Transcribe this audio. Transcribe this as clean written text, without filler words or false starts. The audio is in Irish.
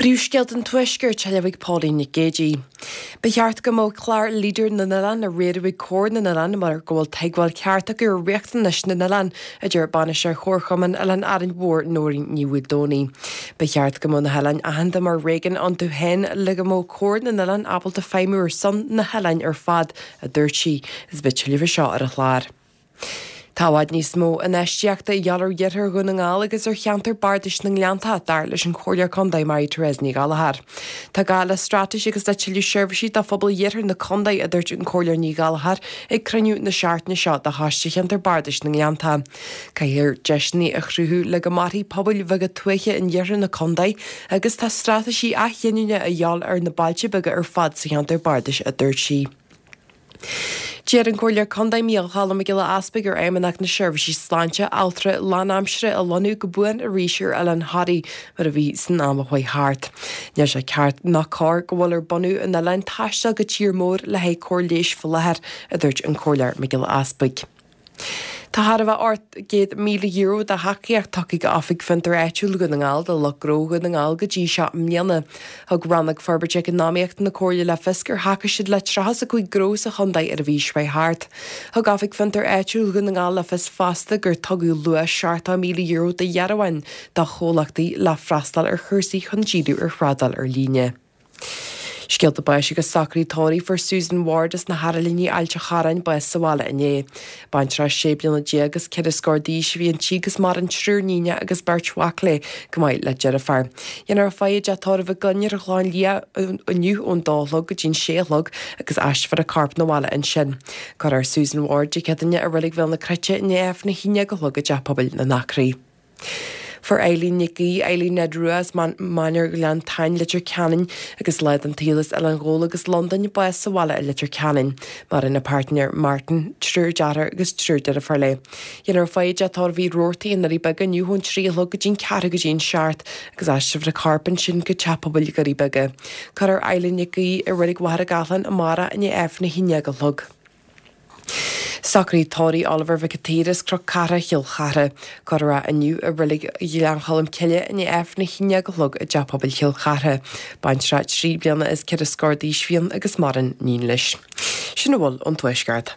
Príomhscéalta an Tuaiscirt á léamh ag Pauline Nic Géadaigh. Ba cheart go mbeadh clár Leader na nOileán á riaradh ag Comhar na nOileán mar go bhfuil tuigbheáil ceart acu ar riachtanais na n-oileán, a deir Bainisteoir Chomharchumann Oileán Árainn Mhór, Nóirín Ní Mhaoldomhnaigh. Ba cheart go mbeadh na hoileáin aitheanta mar réigiún iontu féin le go mbeadh Comhar na nOileán ábalta feidhmiú ar son na hoileáin ar fad, a dúirt sí. Is beidh tuilleadh faoi seo ar an chlár. Tá i bhfad níos mó infheistíochta a dhíobháil ar iarthar Dhún na nGall agus ar cheantar bardais na nGleanntach, dar leis an Chomhairleoir Contae Mary Therese Ní Ghallchóir. Tá gá le straitéis agus le tuilleadh seirbhísí do phobal iarthar na contae, a dúirt an Comhairleoir Ní Ghallchóir ag cruinniú na seachtaine seo de Choiste Cheantar Bardais na nGleanntach. Caithfear deiseanna a chruthú le go mairfidh pobail bheaga tuaithe in iarthar na contae agus tá straitéisí athghiniúna a dhíobháil ar na bailte beaga ar fad sa cheantar bardais, a dúirt sí. D'iarr an Comhairleoir Contae Micheál Choilm Mac Giolla Easpaig ar Fheidhmeannacht na Seirbhísí Sláinte altra lánaimseartha a lonnú go buan arís ar Oileán Thoraí mar a bhí san am a chuaigh thart. Níl sé ceart ná cóir go bhfuil ar bunadh an oileáin taisteal go tír mór le haghaidh cóir leighis faoi láthair, a dúirt an Comhairleoir Mac Giolla Easpaig. Tá thar a bheith €800,000 de thacaíocht tugtha ag Oifig Fiontar Áitiúil Dhún na nGall do lucht gnó Dhún na nGall go dtí seo i mbliana. Thug Rannóg Forbairthe Eacnamaíochta na Comhairle le fios gur thacaigh siad le 35 gnó sa chontae ar an mhí seo chuaigh thart. Thug Oifig Fiontar Áitiúil Dhún na nGall le fios fosta gur tugadh luach €70,000 de dhearbháin do chomhlachtaí le freastal ar chúrsaí chun díriú ar thrádáil ar líne. Scéalta báis agus socruithe tórraimh. Fuair Susan Ward as na hArailíní, Ailt an Chorráin, bás sa bhaile inné. Baintreach sé bliana déag is ceithre scór d'aois a bhí inti agus maireann triúr níonacha agus beirt mhac léi, chomh maith le deirfiúr. Déanfar faire i dteach tórraimh a clainne ar an Chlochán Liath inniu ón dó a chlog go dtí'n sé a chlog agus aistreofar a corp 'na bhaile ansin. Cuirfear Susan Ward Dé Céadaoine i Reilig Bhéal na Cruite i ndiaidh Aifreann a haon déag a chlog i dTeach Pobail na nAcraí. Fuair Eileen Nic Aoidh, Eileen Ned Rua as Mainéar Ghleann Táin, Leitir Ceanainn, agus lá den tsaol as Oileán Ghabhla agus Londain, bás sa bhaile i Leitir Ceanainn. Maireann a páirtnéir Martin, triúr deartháir agus triúr deirfiúr léi. Déanfar faire i dteach tórraimh Uí Robhartaigh i nDoirí Beaga inniu ón 3 a chlog go dtí'n ceathrú go dtí an seacht agus aistreofar a corp ansin go Teach Pobail Dhoirí Beaga. Cuirfear Eileen Nic Aoidh i Reilig Mhachaire Gathlán amárach i ndiaidh Aifreann 11 a chlog. Socruithe tórraimh Oliver Mhic an tSaoir as Cnoc Cartha, Chill Chartha. Cuirfear é inniu i Reilig Ghleann Cholm Cille i ndiaidh Aifreann 11 a chlog i dTeach Pobail Chill Chartha. Baintreach trí bliana is ceithre scór d'aois a bhí ann agus maireann níon leis. Sin a bhfuil ón Tuaisceart.